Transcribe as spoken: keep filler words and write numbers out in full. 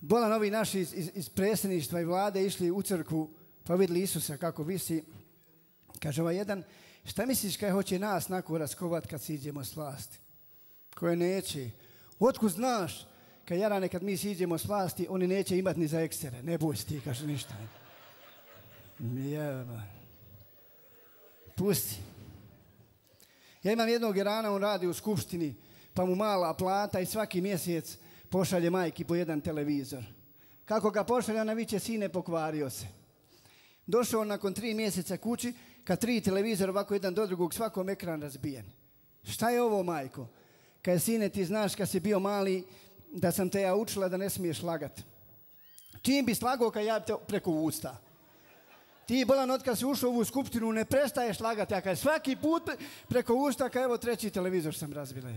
bolan ovi naši iz, iz, iz predsjedništva i vlade išli u crkvu, pa vidjeli Isusa kako visi. Kaže ovaj jedan, šta misliš kaj hoće nas nako raskovat kad siđemo s vlasti? Koje neće. Otkud znaš, kad jarane kad mi siđemo s vlasti, oni neće imati ni za ekstere. Ne boj ti, kaže ništa. Jeba. Pusti. Ja imam jednog Irana, on radi u skupštini, pa mu mala plata i svaki mjesec pošalje majki po jedan televizor. Kako ga pošalje, ona viče, sine, pokvario se. Došao nakon tri mjeseca kući, kad tri televizora ovako jedan do drugog, svakom ekran razbijen. Šta je ovo, majko? Kad sine, ti znaš kad si bio mali, da sam te ja učila da ne smiješ lagat. Čim bi slagao kad ja te preko usta? Ti, bolan, od kad si ušao u ovu skupštinu, ne prestaješ lagati, a kad svaki put preko usta, kad evo treći televizor sam razbila.